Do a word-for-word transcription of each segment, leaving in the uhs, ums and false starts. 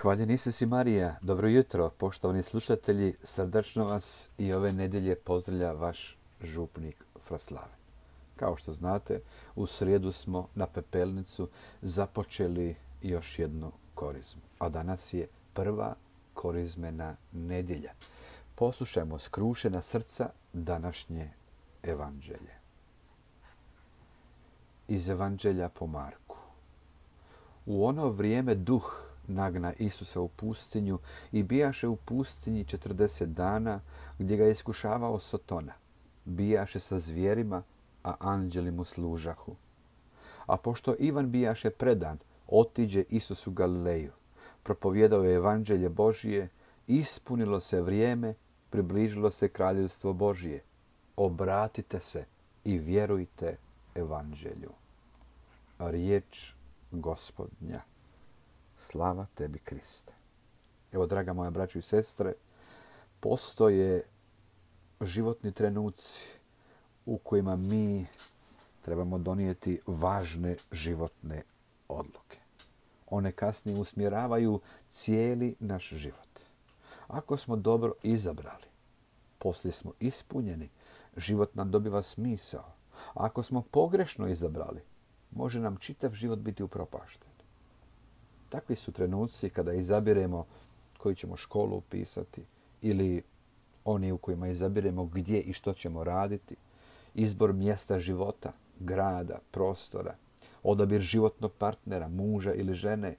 Hvaljen Isus i Marija, dobro jutro, poštovani slušatelji, srdačno vas i ove nedjelje pozdravlja vaš župnik Fraslaven. Kao što znate, u srijedu smo na Pepelnicu započeli još jednu korizmu, a danas je prva korizmena nedjelja. Poslušajmo skrušena srca današnje evanđelje. Iz evanđelja po Marku. U ono vrijeme duh nagna Isusa u pustinju i bijaše u pustinji četrdeset dana, gdje ga je iskušavao Sotona. Bijaše sa zvijerima, a anđeli mu služahu. A pošto Ivan bijaše predan, otiđe Isus u Galileju. Propovjedao je evanđelje Božije, ispunilo se vrijeme, približilo se kraljevstvo Božije. Obratite se i vjerujte evanđelju. Riječ Gospodnja. Slava tebi, Kriste. Evo, draga moja braćo i sestre, postoje životni trenuci u kojima mi trebamo donijeti važne životne odluke. One kasnije usmjeravaju cijeli naš život. Ako smo dobro izabrali, poslije smo ispunjeni, život nam dobiva smisao. Ako smo pogrešno izabrali, može nam čitav život biti upropašten. Takvi su trenuci kada izabiremo koju ćemo školu upisati ili oni u kojima izabiremo gdje i što ćemo raditi, izbor mjesta života, grada, prostora, odabir životnog partnera, muža ili žene.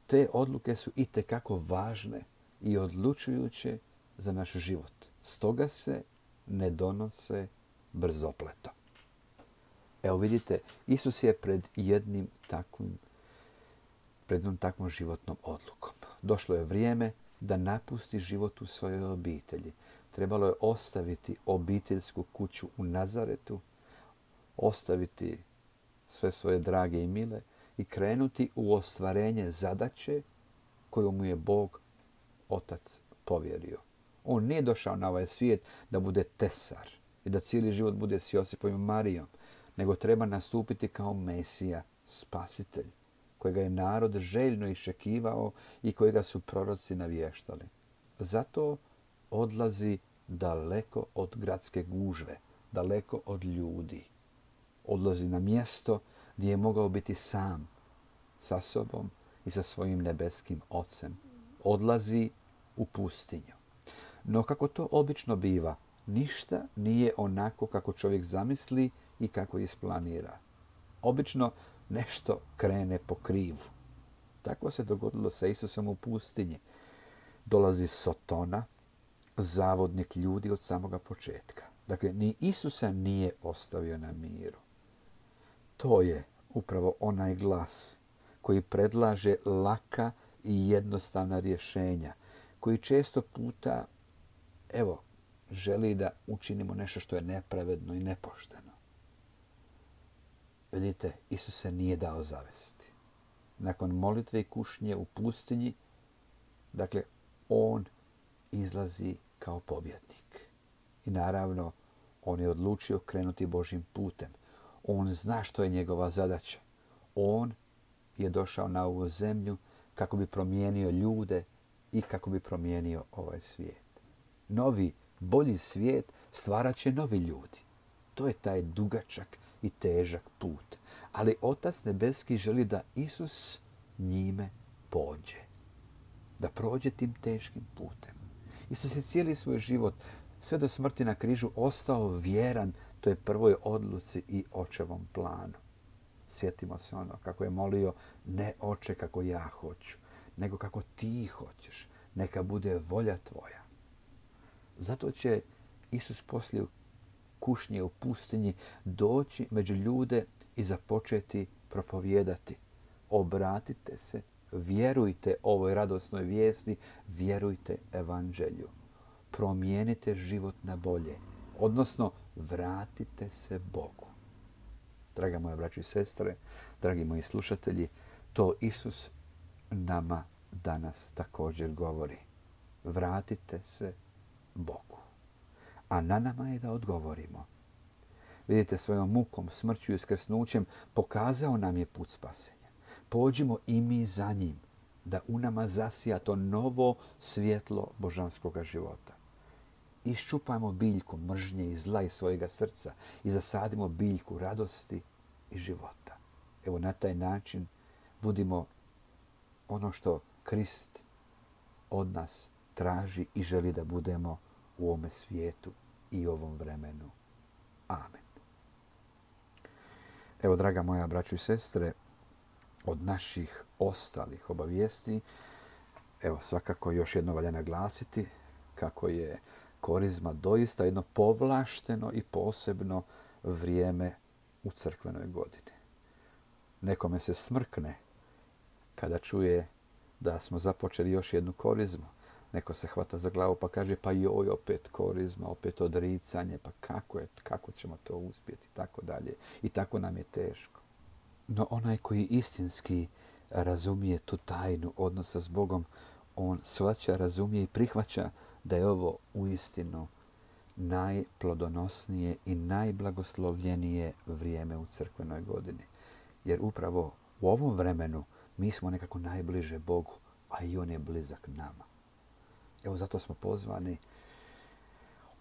Te odluke su itekako važne i odlučujuće za naš život. Stoga se ne donose brzopleto. Evo vidite, Isus je pred jednim takvim pred jednom takvom životnom odlukom. Došlo je vrijeme da napusti život u svojoj obitelji. Trebalo je ostaviti obiteljsku kuću u Nazaretu, ostaviti sve svoje drage i mile i krenuti u ostvarenje zadaće koju mu je Bog Otac povjerio. On nije došao na ovaj svijet da bude tesar i da cijeli život bude s Josipom i Marijom, nego treba nastupiti kao Mesija, spasitelj, kojega je narod željno iščekivao i kojega su proroci navještali. Zato odlazi daleko od gradske gužve, daleko od ljudi. Odlazi na mjesto gdje je mogao biti sam, sa sobom i sa svojim nebeskim Ocem. Odlazi u pustinju. No kako to obično biva, ništa nije onako kako čovjek zamisli i kako isplanira. Obično nešto krene po krivu. Tako se dogodilo sa Isusom u pustinji. Dolazi Sotona, zavodnik ljudi od samoga početka. Dakle, ni Isusa nije ostavio na miru. To je upravo onaj glas koji predlaže laka i jednostavna rješenja, koji često puta, evo, želi da učinimo nešto što je nepravedno i nepošteno. Vidite, Isus se nije dao zavesti. Nakon molitve i kušnje u pustinji, dakle, on izlazi kao pobjednik. I naravno, on je odlučio krenuti Božjim putem. On zna što je njegova zadaća. On je došao na ovu zemlju kako bi promijenio ljude i kako bi promijenio ovaj svijet. Novi, bolji svijet stvarat će novi ljudi. To je taj dugačak i težak put. Ali Otac nebeski želi da Isus njime pođe. Da prođe tim teškim putem. Isus je cijeli svoj život, sve do smrti na križu, ostao vjeran toj prvoj odluci i očevom planu. Sjetimo se ono kako je molio, ne oče kako ja hoću, nego kako ti hoćeš. Neka bude volja tvoja. Zato će Isus poslije kušnje u pustinji doći među ljude i započeti propovijedati. Obratite se, vjerujte ovoj radosnoj vijesti, vjerujte evanđelju. Promijenite život na bolje, odnosno vratite se Bogu. Draga moja braćo i sestre, dragi moji slušatelji, to Isus nama danas također govori. Vratite se Bogu. A na nama je da odgovorimo. Vidite, svojom mukom, smrću i uskrsnućem pokazao nam je put spasenja. Pođimo i mi za njim. da u nama zasija to novo svjetlo božanskog života. Iščupajmo biljku mržnje i zla iz svojega srca i zasadimo biljku radosti i života. Evo, na taj način budimo ono što Krist od nas traži i želi da budemo u ovome svijetu i ovom vremenu. Amen. Evo, draga moja braćo i sestre, od naših ostalih obavijesti, evo, svakako još jedno valja naglasiti kako je Korizma doista jedno povlašteno i posebno vrijeme u crkvenoj godini. Nekome se smrkne kada čuje da smo započeli još jednu korizmu. Neko se hvata za glavu pa kaže pa joj, opet korizma, opet odricanje, pa kako je, kako ćemo to uspjeti, tako dalje. I tako nam je teško. No onaj koji istinski razumije tu tajnu odnosa s Bogom, on shvaća, razumije i prihvaća da je ovo uistinu najplodonosnije i najblagoslovljenije vrijeme u crkvenoj godini. Jer upravo u ovom vremenu mi smo nekako najbliže Bogu, a i On je blizak nama. Evo, zato smo pozvani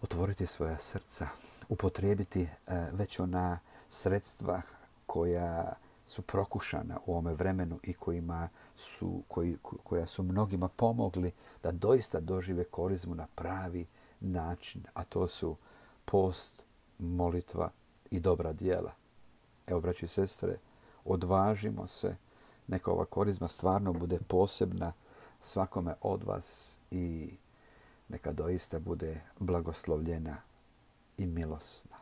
otvoriti svoja srca, upotrijebiti već ona sredstva koja su prokušana u ovome vremenu i kojima su, koji, koja su mnogima pomogli da doista dožive korizmu na pravi način, a to su post, molitva i dobra djela. Evo, braći i sestre, odvažimo se, neka ova korizma stvarno bude posebna svakome od vas i neka doista bude blagoslovljena i milosna.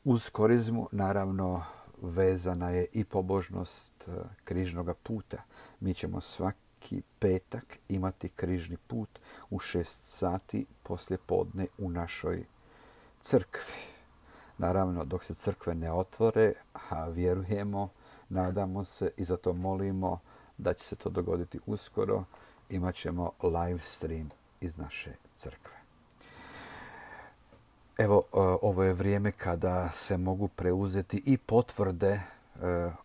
Uz korizmu, naravno, vezana je i pobožnost križnog puta. Mi ćemo svaki petak imati križni put u šest sati poslije podne u našoj crkvi. Naravno, dok se crkve ne otvore, a vjerujemo, nadamo se i zato molimo da će se to dogoditi uskoro, imat ćemo live stream iz naše crkve. Evo, ovo je vrijeme kada se mogu preuzeti i potvrde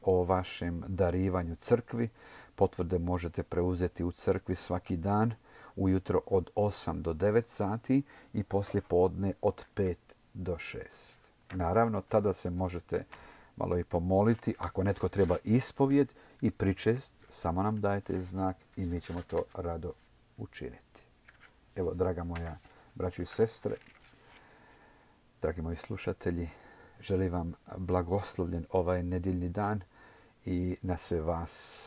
o vašem darivanju crkvi. Potvrde možete preuzeti u crkvi svaki dan, ujutro od osam do devet sati i poslije podne od pet do šest. Naravno, tada se možete malo i pomoliti. Ako netko treba ispovjed i pričest, samo nam dajte znak i mi ćemo to rado učiniti. Evo, draga moja braćo i sestre, dragi moji slušatelji, želim vam blagoslovljen ovaj nedjeljni dan i na sve vas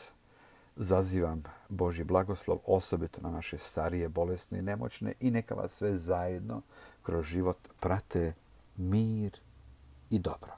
zazivam Božji blagoslov, osobito na naše starije, bolesne i nemoćne, i neka vas sve zajedno kroz život prate mir i dobro.